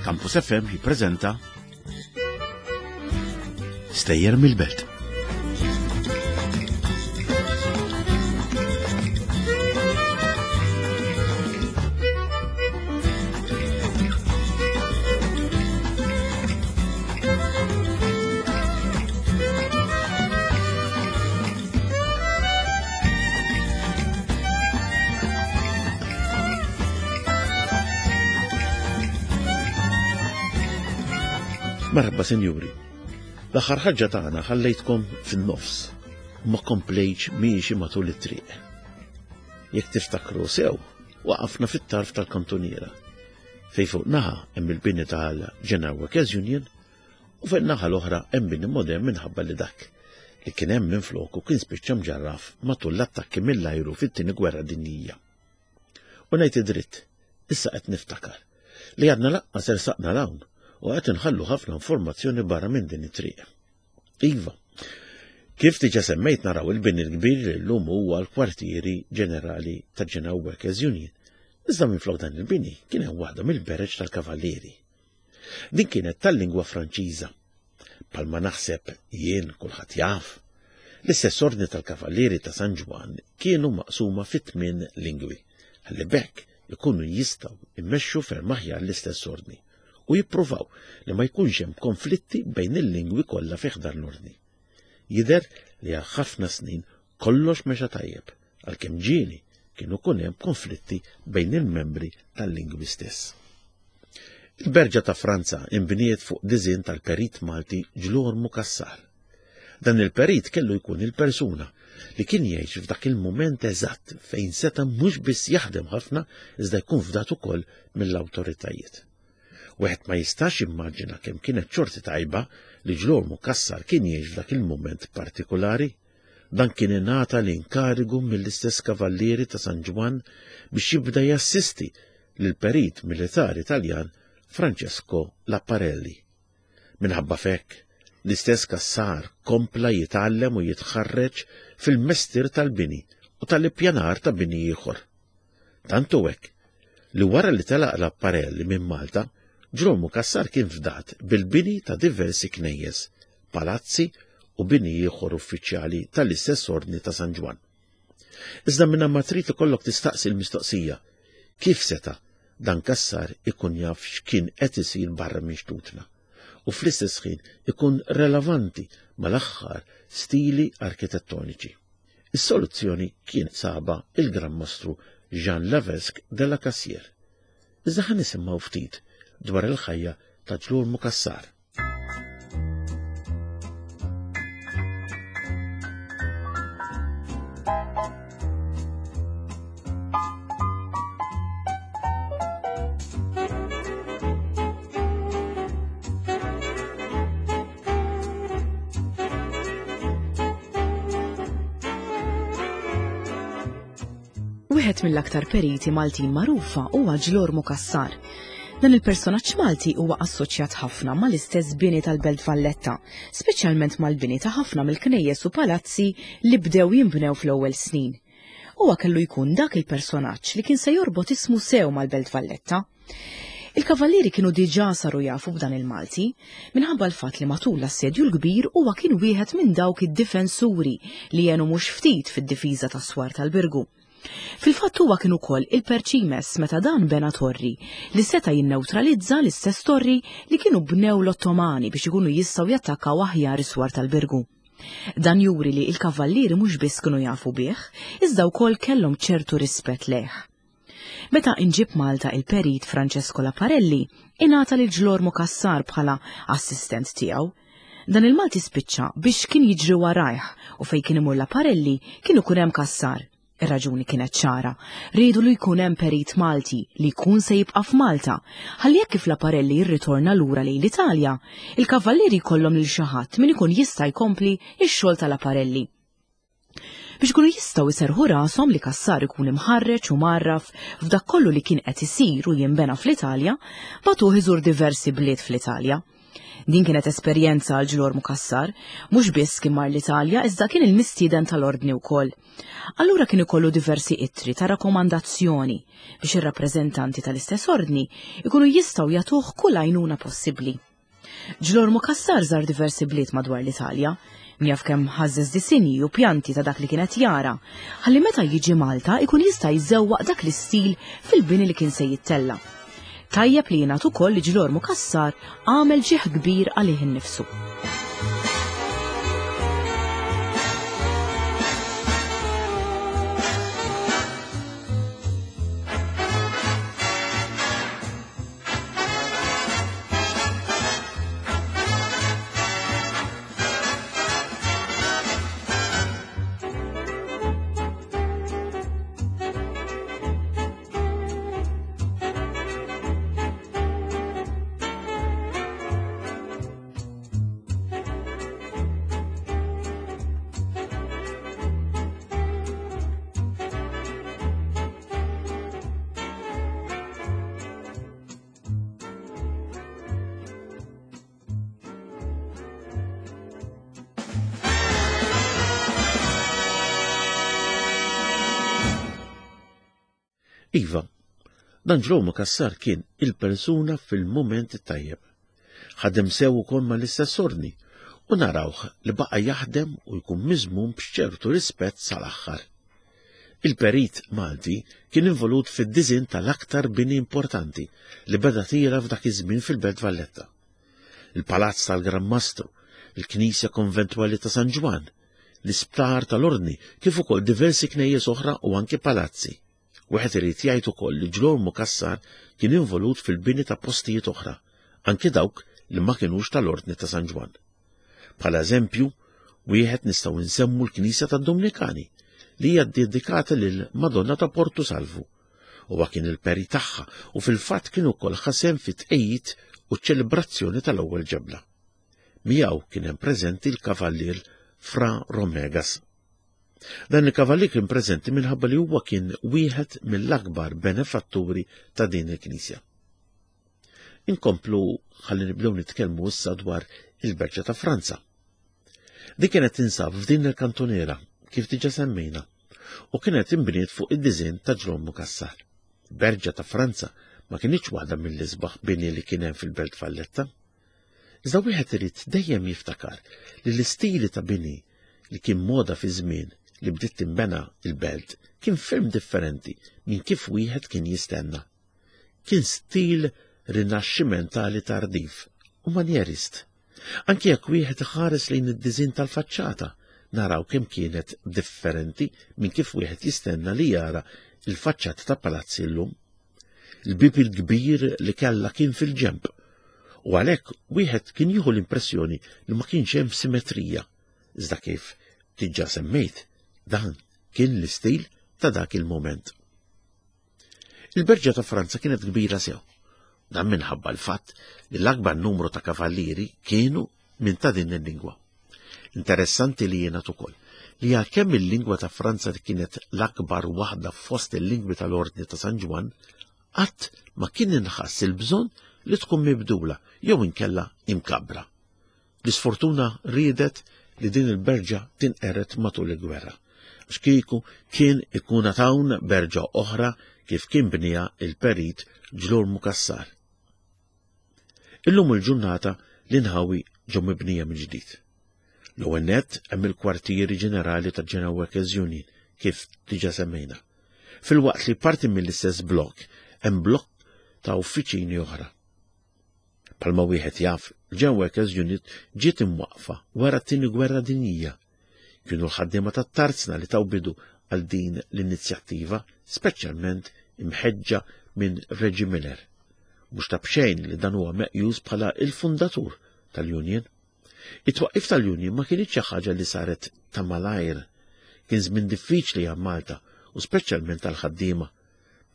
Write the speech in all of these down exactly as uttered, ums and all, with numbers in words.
Campus F M jippreżenta Stejjer mill-Belt. Marħba, sinjuri. L-aħħar ħarġa tagħna ħallejtkom fin-nofs u ma komplejtx miexi matul it-triq. Jekk tiftakru sew, waqafna fit-tarf tal-kantuniera, fej fuq naħa hemm il-bini tal-General Workers Union u fuq naħa l-oħra hemm bini modern minħabba li dak li kien hemm minn floku kien spiċċa mġarraf matul l-attakki mill-ajru fit-Tieni Gwerra Dinjija. U ngħid id-dritt, issa qed niftakar li għadna lanqas ersaqna 'l hawn u qed inħallu ħafna informazzjoni barra minn din it-triq. Iva, kif diġà semmejt, naraw il-bini l-kbir li llum huwa l-kwartieri ġenerali ta' General Workers Union. Iżda minn flok dan il-bini kien hemm waħda mill-bereġ tal-Kavallieri. Din kienet tal-lingwa Franċiża. Bħalma naħseb jien kulħadd jaf, l-istess ordni tal-Kavallieri ta' San Ġwann kienu maqsuma fit tmien lingwi, ħalli b'hekk ikunu jistgħu immexxu ferm aħjar l-istess ordni u jippruvaw li ma jkunx hemm konflitti bejn il-lingwi kollha fi ħdan l-ordni. Jidher li għal ħafna snin kollox mexa tajjeb, għalkemm ġieli kienu kun hemm konflitti bejn il-membri tal-lingwi stess. Il-Berġa ta' Franza imbniet fuq diżin tal-perit Malti Ġlormu Cassar. Dan il-perit kellu jkun il-persuna li kien jgħix f'dak il-moment eżatt fejn seta' mhux biss jaħdem ħafna, iżda jkun fdat ukoll mill-awtoritajiet. Wieħed ma jistax immaġina kemm kienet xorti tajba li Ġlormu Cassar kien jgħix f'dak il-moment partikolari. Dan kien ingħata l-inkarigu mill-istess Kavallieri ta' San Ġwann biex jibda jassisti lil perit militari Taljan Francesco Laparelli. Minħabba f'hekk, l-istess Cassar kompla jitgħallem u jitħarreġ fil-mestier tal-bini u tal-ippjanar ta' bini ieħor. Tantu hekk li wara li telaq Laparelli minn Malta, Ġlormu Cassar kien fdat bil-bini ta' diversi knejjes, palazzi u bini ieħor uffiċjali tal-istess ordni ta' San Ġwann. Iżda minna ma trid ikollok tistaqsi l-mistoqsija: kif seta' dan Cassar ikun jaf x'kien qed isir barra minn xtutna u fl-istess ħin ikun relevanti mal-aħħar stili arkitettoniċi? Is-soluzzjoni kien saba il-Gran Mastru Jean Levesque de la Cassière. Iżda ħa nisimgħu ftit dwar il-ħajja ta' Ġlormu Cassar. Wieħed mill-aktar periti Maltin magħrufa huwa Ġlormu Cassar. Dan il-personaġġ Malti huwa assoċjat ħafna mal-istess bini tal-Belt Valletta, speċjalment mal-bini ta' ħafna mill-knejjes u palazzi li bdew jinbnew fl-ewwel snin. Huwa kellu jkun dak il-personaġġ li kien se jorbot ismu sew mal-Belt Valletta. Il-kavallieri kienu diġà saru jafu b'dan il-Malti, minħabba l-fatt li matul l-Assedju l-Kbir huwa kien wieħed minn dawk id-difensuri li jenu mhux ftit fid-difiża tas-swar tal-Birgu. Fil-fatt huwa kien ukoll il-perċimes meta dan bena torri li seta' jinneutralizza l-istess torri li kienu bnew l-Ottomani biex ikunu jistgħu jattakkaw aħjar is-swar tal-Birgu. Dan juri li il-kavallieri mhux biss kienu jafu bih, iżda wkoll kellhom ċertu rispett lejh. Meta inġib Malta il-perit Francesco Laparelli, ingħata lil Ġlormu Cassar bħala assistent tiegħu. Dan il-Malti spiċċa biex kien jiġri warajh u fej kien imur Laparelli kien ikun hemm Cassar. Ir-raġuni kienet ċara. Riedu li jkun hemm perit Malti li jkun se jibqa' f'Malta. Ħalli jekk kif Laparelli jirritorna lura lejn l-Italja, il-kavallieri jkollhom lil xi ħadd min ikun jista' jkompli x-xogħol tal-Laparelli. Biex ikunu jistgħu jserħu rashom li Cassar ikun imħarreġ u mgħarraf f'dak kollu li kien qed isir u jinbena fl-Italja, bagħtuh iżur diversi bliet fl-Italja. Din kienet esperjenza għal Ġlormu Cassar, mhux biss kien mar l-Italja iżda kien il-mistieden tal-ordni wkoll. Allura kien ikollu diversi ittri ta' rakkomandazzjoni biex ir-rappreżentanti tal-istess ordni ikunu jistgħu jagħtuh kull għajnuna possibbli. Ġlormu Cassar żar diversi bliet madwar l-Italja, min jaf kemm ħażżeż disinji u pjanti ta' dak li kienet jara, ħalli meta jiġi Malta ikun jista' jżewwaq dak l-istil fil-bini li kien se jittella'. Tajjeb li jingħad ukoll li Ġlormu Cassar għamel ġieħ kbir għalih innifsu. Iva, dan Ġlormu Cassar kien il-persuna fil-moment tajjeb. Ħadem sew ukoll mal-istess ordni u narawh li baqa' jaħdem u jkun miżmum b'ċertu rispett sal-aħħar. Il-perit Malti kien involut fid-diżin tal-aktar bini importanti li beda tira f'dak iż-żmien fil-Belt Valletta. Il-Palazz tal-Gran Mastru, il-Knisja Konventwali ta' San Ġwann, l-Isptar tal-Ordni, kif ukoll diversi knejjes oħra u anke palazzi. Wieħed irid jgħid ukoll li Ġlormu Cassar kien involut fil-bini ta' postijiet oħra, anke dawk li ma kinux tal-Ordni ta' San Ġwann. Bħala eżempju, wieħed nistgħu nsemmu l-Knisja tad-Dominikani li hija ddedikata lil Madonna ta' Portu Salvu. Huwa kien il-peri tagħha u fil-fatt kien ukoll ħasem fit-tqejjid u ċ-ċelebrazzjoni tal-ewwel ġebla. Miegħu kien hemm preżenti l-Kavallier Fra Romegas. Dan il-kavallier kien preżenti minħabba li huwa kien wieħed mill-akbar benefatturi ta' din il-Knisja. Inkomplu ħalli nibdew nitkellmu issa dwar il-Berġa ta' Franza. Din kienet tinsab f'din il-kantuniera, kif diġà semmejna, u kienet inbniet fuq id-diżinn ta' Ġlormu Cassar. Berġa ta' Franza ma kienx waħda mill-isbaħ bini li kien hemm fil-Belt Valletta. Iżda wieħed irid dejjem jiftakar li l-istili ta' bini li kien moda fi żmien li bdiet tinbena il-belt kien ferm differenti minn kif wieħed kien jistenna. Kien stil rinaxximentali tardiv u manjerist. Anki jekk wieħed iħares lejn id-diżinn tal-faċċata, naraw kemm kienet differenti minn kif wieħed jistenna li jara il-faċċata ta' palazzi llum. Il-bib il-kbir li kellha kien fil-ġemp, u għalhekk wieħed kien jieħu l-impressjoni li ma kienx hemm simetrija. Iżda kif diġà semmejt, dan kien l-istil ta' dak il-moment. Il-Berġa ta' Franza kienet kbira sew. Dan minħabba l-fatt li l-akbar numru ta' kavallieri kienu minn ta' din il-lingwa. Interessanti li jiena ukoll li għalkemm il-lingwa ta' Franza kienet l-akbar waħda fost il-lingwi tal-Ordni ta' San Ġwann, qatt ma kien inħass il-bżonn li tkun mibdula jew inkella imkabbra. L-isfortuna riedet li din il-berġa tinqeret matul il-gwerra. Għax kieku kien ikun hawn berġa oħra kif kien bnija il-perit Ġlormu Cassar. Illum il-ġurnata l-inħawi ġew mibnija minn ġdid. L-ewwel nett hemm il-kwartieri ġenerali ta' General Workers Union kif diġà semmejna. Filwaqt li parti mill-istess blokk hemm blokk ta' uffiċini oħra. Palma wieħed jaf, General Workers Unit ġiet imwaqfa wara t-tieni gwerra dinjija. Kienu l-ħaddiema tat-tarzna li taw bidu għal din l-inizjattiva, speċjalment imħeġġa minn Reggie Miller. Mhux ta' b'xejn li dan huwa meqjus bħala il-fundatur tal-Union. It-twaqqif tal-Union ma kienx xi ħaġa li saret ta' malajr. Kien żmien diffiċli għal Malta u speċjalment tal-ħaddiema.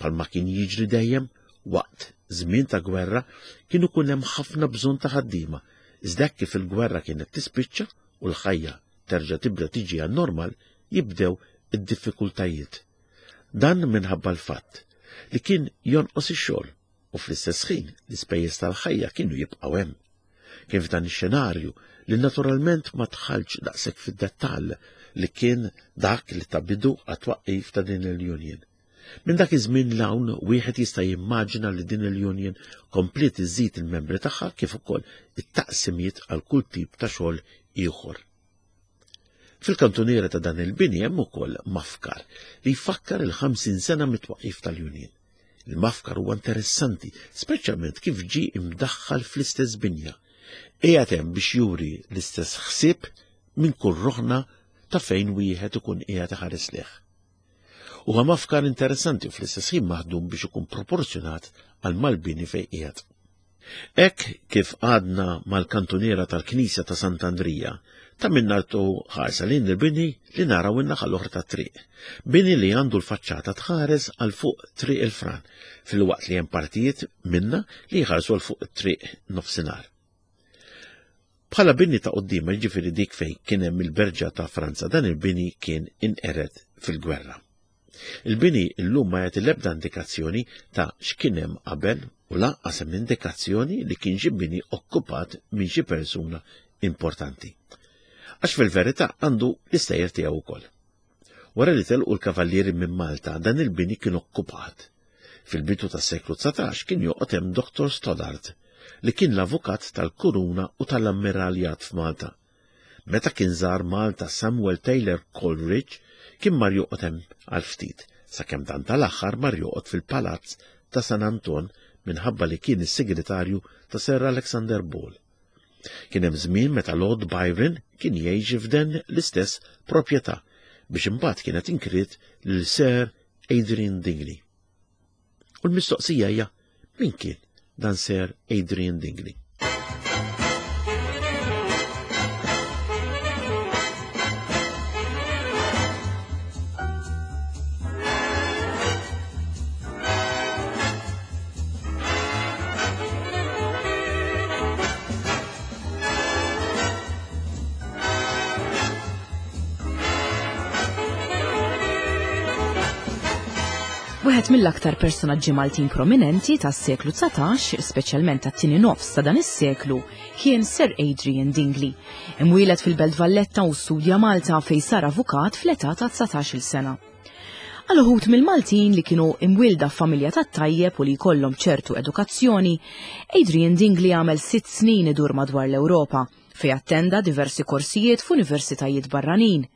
Palma kien jiġri dejjem waqt żmien ta' gwerra kienu kun hemm ħafna bżonn ta' ħaddiema, iżda kif il-gwerra kienet tispiċċa u l-ħajja terġa' tibda tiġi għan-normal jibdew id-diffikultajiet. Dan minħabba l-fatt li kien jonqos ix-xogħol u fl-istess ħin l-ispejjeż tal-ħajja kienu jibqgħu hemm. Kien f'dan ix-xenarju li naturalment ma dħalx daqshekk fid-dettall li kien dak li ta bidu għat-twaqqif ta' din il-union. Minn dak iż-żmien 'l hawn wieħed jista' jimmaġina li din il-union kompliet iżid il-membri tagħha kif ukoll it-taqsimiet għal kull tip ta' xogħol ieħor. Fil-kantuniera ta' dan il-bini hemm ukoll mafkar li jfakkar il-ħamsin sena mit-twaqqif tal-union. Il-mafkar huwa interessanti, speċjalment kif ġie imdaħħal fl-istess binja. Qiegħed hemm biex juri l-istess ħsieb minn kull roħna ta' fejn wieħed ikun qiegħed iħares leh. Huwa mafkar interessanti u fl-istess ħin maħdum biex ikun proporzjonat għal mal-bini fejn qiegħed. Hekk kif għadna mal-kantuniera tal-Knisja ta' Sant'Andrija, ta' min nagħtu ħarsa lejn il-bini li naraw in-naħa l-oħra tat-triq. Bini li għandu l-faċċata tħares għal fuq Triq il-Fran, filwaqt li hemm partijiet minna li jħarsu għal fuq triq nofsinhar. Bħala bini ta' quddiem, jiġifieri dik fejn kien hemm il-Berġa ta' Franza, dan il-bini kien inqered fil-gwerra. Il-bini llum ma jagħti l-ebda indikazzjoni ta' x'kien hemm qabel u lanqas hemm indikazzjoni li kien xi bini okkupat minn xi persuna importanti. Għax fil-verità għandu l-istejjer tiegħu wkoll. Wara li telqu l-kavallieri minn Malta, dan il-bini kien okkupat. Fil-bidu tas-seklu dsatax kien joqgħod hemm Doktor Stoddart, li kien l-avukat tal-Kuruna u tal-Ammiraljat f'Malta. Meta kien żar Malta Samuel Taylor Coleridge kien mar joqgħod hemm għal ftit, sakemm dan tal-aħħar mar joqgħod fil-Palazz ta' San Anton minħabba li kien is-segretarju ta' Sir Alexander Ball. Kien hemm żmien meta Lord Byron kien jgħix f'den l-istess proprjetà biex imbagħad kienet inkriet lil Sir Adrian Dingley. U l-mistoqsija hija min kien dan Sir Adrian Dingley? Wieħed mill-aktar personaġġi Maltin prominenti tas-seklu dsatax, speċjalment tat-tieni nofs ta' dan is-seklu, kien Sir Adrian Dingley. Imwieled fil-Belt Valletta u studja Malta fejn sar avukat fl-età ta' dsatax-il sena. Għal uħud mill-Maltin li kienu imwielda f'familja tat-tajjeb u li jkollhom ċertu edukazzjoni, Adrian Dingley għamel sitt snin idur madwar l-Ewropa fejn attenda diversi korsijiet f'universitajiet barranin.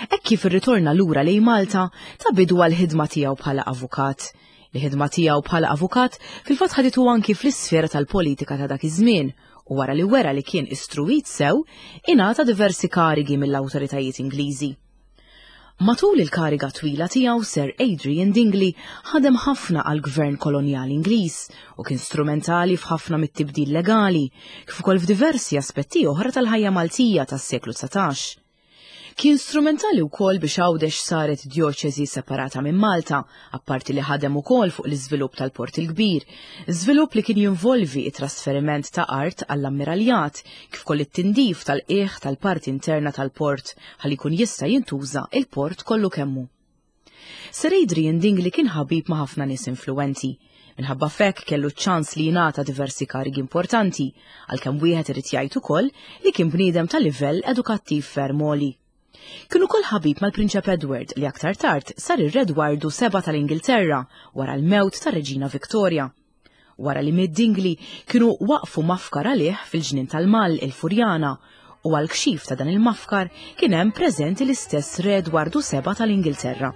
Hekk kif irritorna lura lejn Malta, ta bidu għall-ħidma tiegħu bħala avukat. Il-ħidma tiegħu bħala avukat fil-fatt ħaditu anki fl-isfera tal-politika ta' dak iż-żmien u wara li wera li kien istruwit sew, ingħata diversi karigi mill-awtoritajiet Ingliżi. Matul il-kariga twila tiegħu Sir Adrian Dingley ħadem ħafna għall-gvern kolonjali Ingliż u kien strumentali f'ħafna mit-tibdil legali, kif ukoll f'diversi aspetti oħra tal-ħajja Maltija tas-seklu dsatax. Kien strumentali wkoll biex Għawdex saret djoċesi separata minn Malta, apparti li ħadem ukoll fuq l-iżvilupp tal-Port il-Kbir, żvilupp li kien jinvolvi it-trasferiment ta' art għall-ammiraljat, kif ukoll it-tindif tal-qiegħ tal-parti interna tal-port ħalli jkun jista' jintuża il-port kollu kemmu. Sir Adrian Dingley kien ħabib ma' ħafna nies influwenti. Minħabba fekk kellu ċans li jingħata diversi karigi importanti, għalkemm wieħed irid jgħid ukoll li kien bniedem ta' livell edukattiv ferm għoli. Kien ukoll ħabib mal-Prinċep Edward li aktar tard sar ir-Re Edwardu seba' tal-Ingilterra wara l-mewt tar-Reġina Victoria. Wara li miet Dingley kienu waqfu mafkar għalih fil-ġnien tal-Mall il-Furjana u għal kxif ta' dan il-mafkar kien hemm preżenti l-istess Re Edwardu seba' tal-Ingilterra.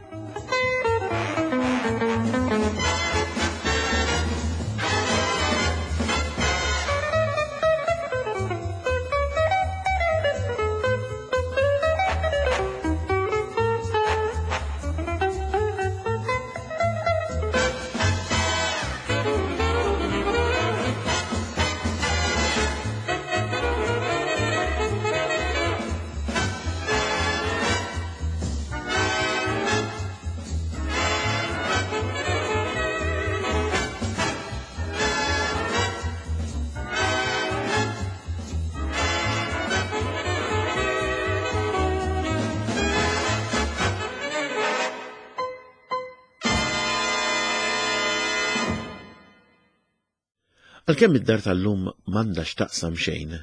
Għalkemm id-dar tal-lum m'għandha x'taqsam xejn,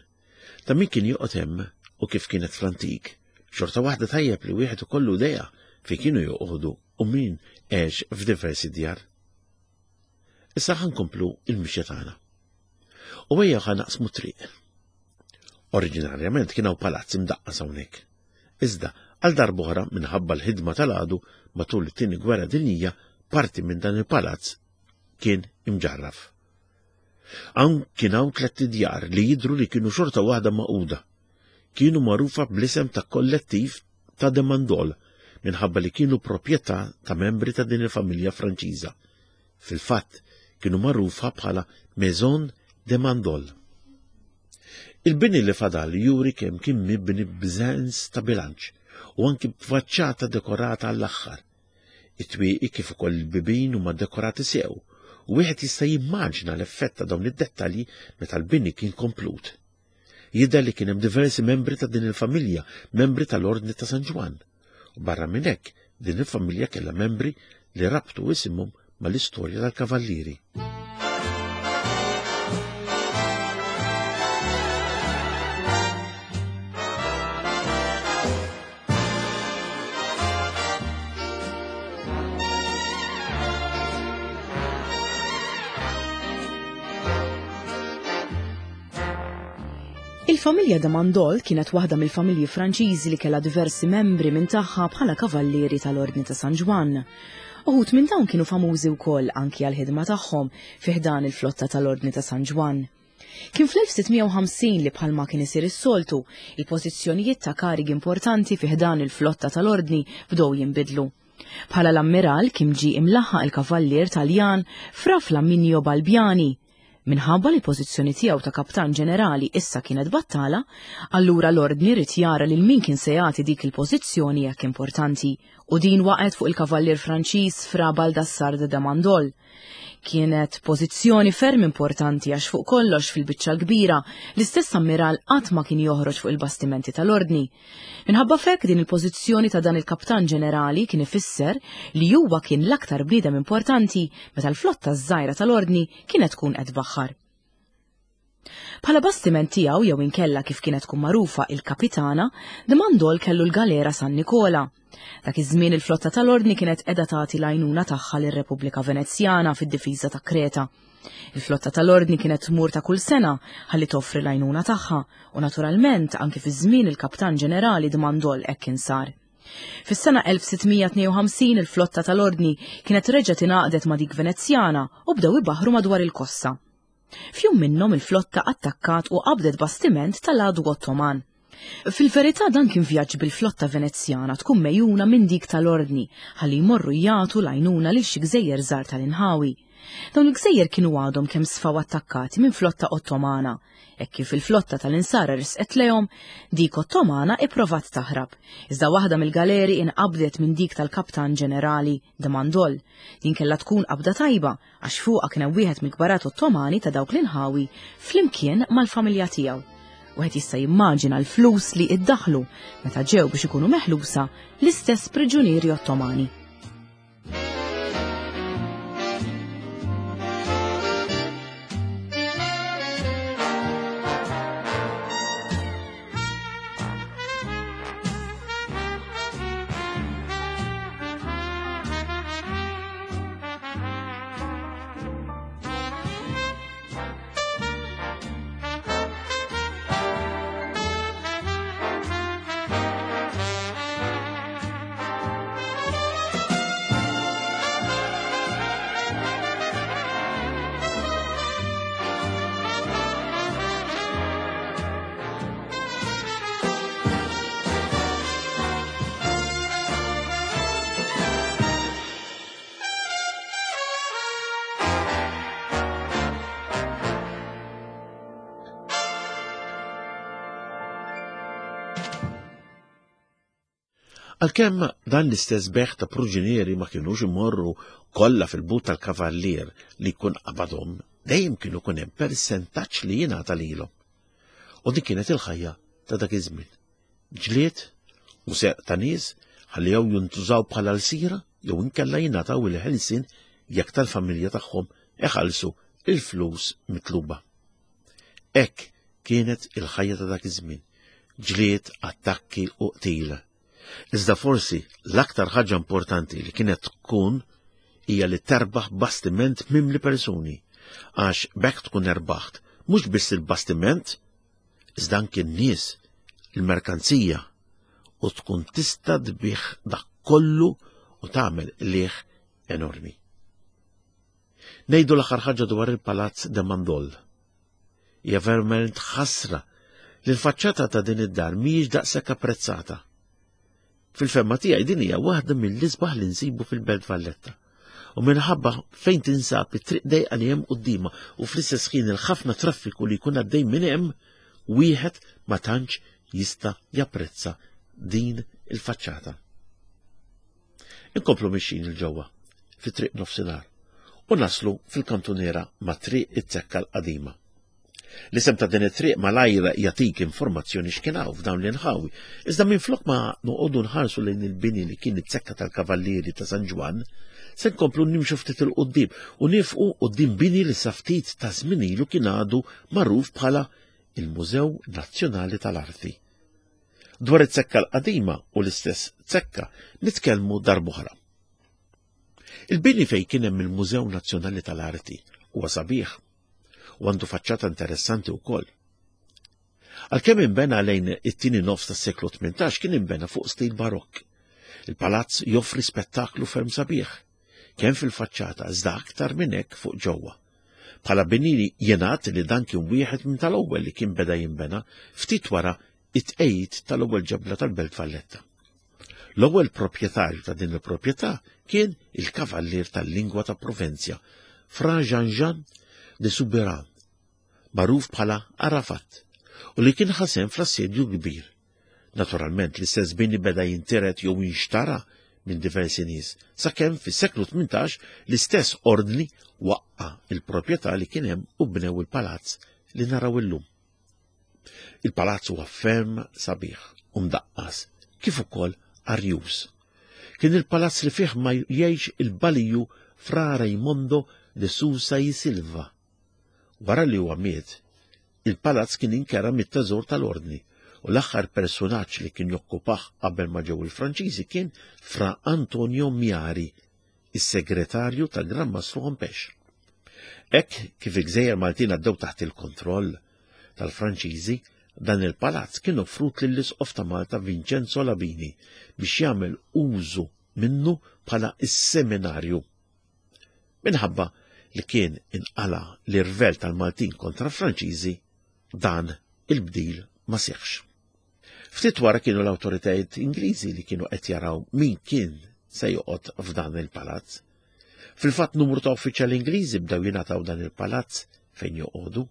ta' min kien joqgħod hemm u kif kienet fl-antik, xorta waħda tajjeb li wieħed ikollu idea fejn kienu joqogħdu u min għex f'diversi djar. Issa ħa nkomplu il-mixja tagħna. U ejja ħa naqsmu triq. Oriġinarjament kien hawn palazz imdaqqas hawnhekk. Iżda għal darb'oħra minħabba l-ħidma tal-għadu matul it-tieni gwerra dinjija parti minn dan il-palazz kien imġarraf. Hawn kien hawn tliet djar li jidhru li kienu xorta waħda magħquda. Kienu magħrufa bl-isem ta' kollettiv ta' De Mandol minħabba li kienu proprjetà ta' membri ta' din il-familja Franċiża. Fil-fatt kienu magħrufa bħala Maison de Mandol. Il-bini li fadal juri kemm kien mibni b'sens ta' bilanċ u anki b'faċċata dekorata għall-aħħar. It-twieqi kif ukoll il-bibien huma dekorati sew u wieħed jista' jimmaġina l-effett ta' dawn id-dettalji meta l-bini kien komplut. Jidher li kien hemm diversi membri ta' din il-familja, membri tal-Ordni ta' San Ġwann. U barra minn hekk, din il-familja kellha membri li rabtu isimhom mal-istorja tal-kavallieri. Il-familja de Mandol kienet waħda mill-familji Franċiżi li kellha diversi membri minn tagħha bħala kavallieri tal-Ordni ta' San Ġwann. Uħud minn dawn kienu famużi wkoll anki għall-ħidma tagħhom fi ħdan il-flotta tal-Ordni ta' San Ġwann. Kien fl-elf sitt mija u ħamsin li bħalma kien isir is-soltu, il-pożizzjonijiet ta' karigi importanti fi ħdan il-flotta tal-Ordni bdew jinbidlu. Bħala l-ammiral kien ġie imlaħħaq il-kavallier Taljan Fra Flaminio Balbiani. Minħabba li l-pożizzjoni tiegħu ta' kaptan ġenerali issa kienet battala, allura l-Ordni rid jara lil min kien se jagħti dik il-pożizzjoni hekk importanti, u din waqgħet fuq il-kavallier Franċiż Fra Baldassar de Mandol. Kienet pożizzjoni ferm importanti għax fuq kollox fil-biċċa l-kbira l-istess ammiral qatt ma kien joħroġ fuq il-bastimenti tal-Ordni. Minħabba f'hekk din il-pożizzjoni ta' dan il-kaptan ġenerali kien ifisser li huwa kien l-aktar bniedem importanti meta l-flotta ż-żgħira tal-Ordni kienet tkun qed tbaħħar. Bħala bastiment tiegħu jew inkella kif kienet tkun magħrufa il-kapitana, de Mandol kellu l-galera San Nikola. Dak iż-żmien il-flotta tal-Ordni kienet qiegħda tagħti l-għajnuna tagħha lir-Repubblika Venezjana fid-difiża ta' Kreta. Il-flotta tal-Ordni kienet tmur ta' kull sena ħalli toffri l-għajnuna tagħha u naturalment anki fi żmien il-Kaptan Ġenerali de Mandol hekk kien sar. Fis-sena elf sitt mija tnejn u ħamsin il-flotta tal-Ordni kienet reġgħet ingħaqdet ma' dik Venezjana u bdew ibaħħru madwar il-kossa. F'jum minnhom il-flotta attakkat u qabdet bastiment tal-għadu Ottoman. Fil-verità dan kien vjaġġ bil-flotta Venezjana tkun mejjuna minn dik tal-Ordni ħalli jmorru jagħtu l-għajnuna lil xi gżejjer żgħar tal-inħawi. Dawn il-gżejjer kienu għadhom kemm sfaw attakkati minn flotta Ottomana. Hekk kif il-flotta tal-insara risqet lejhom, dik Ottomana ipprovat taħrab. Iżda waħda mill-galeri inqabdet minn dik tal-Kaptan Ġenerali de Mandol. Din kellha tkun qabda tajba għax fuqha kien hemm wieħed mill-kbarat Ottomani ta' dawk l-inħawi flimkien mal-familja tiegħu. Wieħed jista' jimmaġina l-flus li iddaħlu meta ġew biex ikunu meħlusa l-istess priġunieri Ottomani. Għalkemm dan l-istess beħ ta' pruġinieri ma kienux imorru kollha fil-but tal-kavallier li jkun qabadhom, dejjem kienu kun hemm persentaġġ li jingħata lilhom. U dik kienet il-ħajja ta' dak iż-żmien. Ġlied u seq ta' nies ħalli jew jintużaw bħala l-sira jew inkella jingħataw il-ħelsien jekk tal-familja tagħhom iħallsu il-flus mitluba. Hekk kienet il-ħajja ta' dak iż-żmien, ġlied, attakki u qtil. Iżda forsi l-aktar ħaġa importanti li kienet tkun hija li terbaħ bastiment mimli persuni, għax b'hekk tkun erbaħt mhux biss il-bastiment, iżda anki n-nies, il-merkanzija, u tkun tista' tbigħ dak kollu u tagħmel qligħ enormi. Ngħidu l-aħħar ħaġa dwar il-Palazz de Mandol. Hija verament ħasra li l-faċċata ta' din id-dar mhijiex daqshekk apprezzata. Fil-fehma tiegħi din hija waħda mill-isbaħ li nsibu fil-Belt Valletta. U minħabba fejn tinsab it-triq dejqa li hemm quddiemha u fl-istess ħin il-ħafna traffiku li jkun għaddej minn hemm, wieħed ma tantx jista' japprezza din il-faċċata. Inkomplu mixjin 'il ġewwa fi triq nofsinhar u naslu fil-kantuniera ma' triq it-Zekka l-qadima. L-isem ta' din it-triq malajr jagħtik informazzjoni x'kien hawn f'dawn l-inħawi, iżda minflok ma noqogħdu nħarsu lejn il-bini li kien it-Zekka tal-Kavallieri ta' San Ġwann, se nkomplu nimxu ftit 'il quddiem u nieqfu quddiem bini li sa ftit ta' żmien ilu kien għadu magħruf bħala il-Mużew Nazzjonali tal-Arti. Dwar it-Zekka l-qadima u l-istess Zekka nitkellmu darb'oħra. Il-bini fejn kien hemm il-Mużew Nazzjonali tal-Arti huwa sabiħ u għandu faċċata interessanti wkoll. Għalkemm inbena lejn it-tieni nofs tas-seklu tmintax kien inbena fuq stil barokk. Il-palazz joffri spettaklu ferm sabiħ, kemm fil-faċċata iżda aktar minn hekk fuq ġewwa. Bħala bini jingħad li dan kien wieħed minn tal-ewwel li kien beda jinbena ftit wara it-tqejjid tal-ewwel ġebla tal-Belt Valletta. L-ewwel proprjetarju ta' din il-proprjetà kien il-kavallier tal-lingwa ta' Provenzja, Fra Jean-Jean de Souberan, magħruf bħala Arafat, u li kien ħa sehem fl-assedju kbir. Naturalment l-istess bini beda jintiret jew jinxtara minn diversi nies, sakemm fis-seklu tmintax l-istess ordni waqqa il-proprjetà li kien hemm u bnew il-palazz li naraw illum. Il-palazz huwa ferm sabiħ u mdaqqas, kif ukoll arjus. Kien il-palazz li fih ma jgħix il-baliju Fra Raimondo de Sousa y Silva. Wara li huwa miet, il-palazz kien inkera mit-teżor tal-ordni u l-aħħar personaġġ li kien jokkupah qabel ma ġew il-Franċiżi kien Fra Antonio Miari, is-segretarju tal-Gran Mastru Hompesch. Hekk kif il-Gżejjer Maltin għaddew taħt il-kontroll tal-Franċiżi, dan il-palazz kien offrut lill-Isqof ta' Malta Vincenzo Labini biex jagħmel użu minnu bħala is-seminarju. Minħabba li kien inqala l-irvel tal-Maltin kontra Franċiżi, dan il-bdil ma seħħx. Ftit wara kienu l-awtoritajiet Ingliżi li kienu qed jaraw min kien se joqgħod f'dan il-palazz. Fil-fatt numru ta' uffiċjali Ingliżi bdew jingħataw dan il-palazz fejn joqogħdu.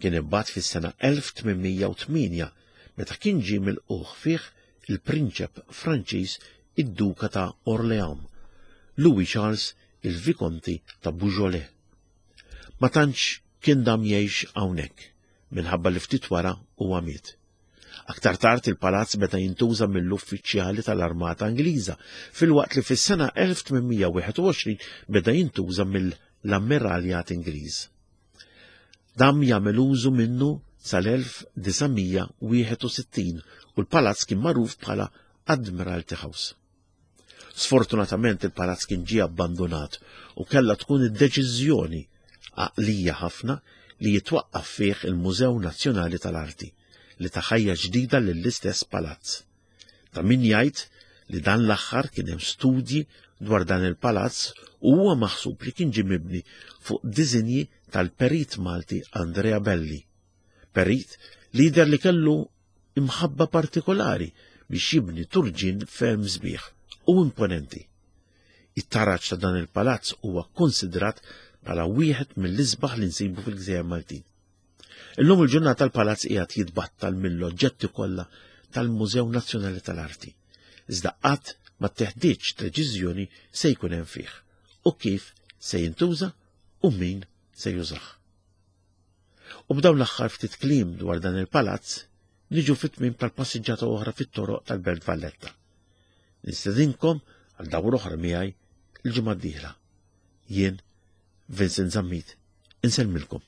Kien imbagħad fis-sena elf tmien mija u tmienja meta kien ġie milqugħ fih il-Prinċep Franċiż id-Duka ta' Orléans, Louis Charles il-Vikonti ta' Beaujolais. Ma tantx kien dam jgħix hawnhekk minħabba li ftit wara huwa miet. Aktar tard il-palazz beda jintuża mill-uffiċjali tal-Armata Ingliża, filwaqt li fis-sena elf tmien mija wieħed u għoxrin beda jintuża mill-Ammiraljat Ingliż. Dam jagħmel użu minnu sal-elf disa' mija wieħed u sittin u l-palazz kien magħruf bħala Admiralty House. Sfortunatament il-palazz kien ġie abbandonat u kellha tkun id-deċiżjoni għaqlija ħafna li jitwaqqaf fih il-Mużew Nazzjonali tal-Arti li ta ħajja ġdida lill-istess palazz. Ta' min jgħid li dan l-aħħar kien hemm studji dwar dan il-palazz u huwa maħsub li kien ġie mibni fuq disinji tal-perit Malti Andrea Belli. Perit li jidher li kellu imħabba partikolari biex jibni turġin ferm sbieħ u imponenti. It-taraġ ta' dan il-palazz huwa konsidrat bħala wieħed mill-isbaħ li nsibu fil-Gżejjer Maltin. Illum il-ġurnata l-palazz qiegħed jitbattal mill-oġġetti kollha tal-Mużew Nazzjonali tal-Arti. Iżda qatt ma teħdiġ deċiżjoni se jkun hemm fih u kif se jintuża u min se jużah. U b'dawn l-aħħar ftit kliem dwar dan il-palazz niġu fit-tmiem tal-passiġġata oħra fit-toroq tal-Belt Valletta. Nistedinkom għal dawra oħra miegħi il-ġimgħa d-dieħla. Jien Vincent Zammit, Insellmilkom.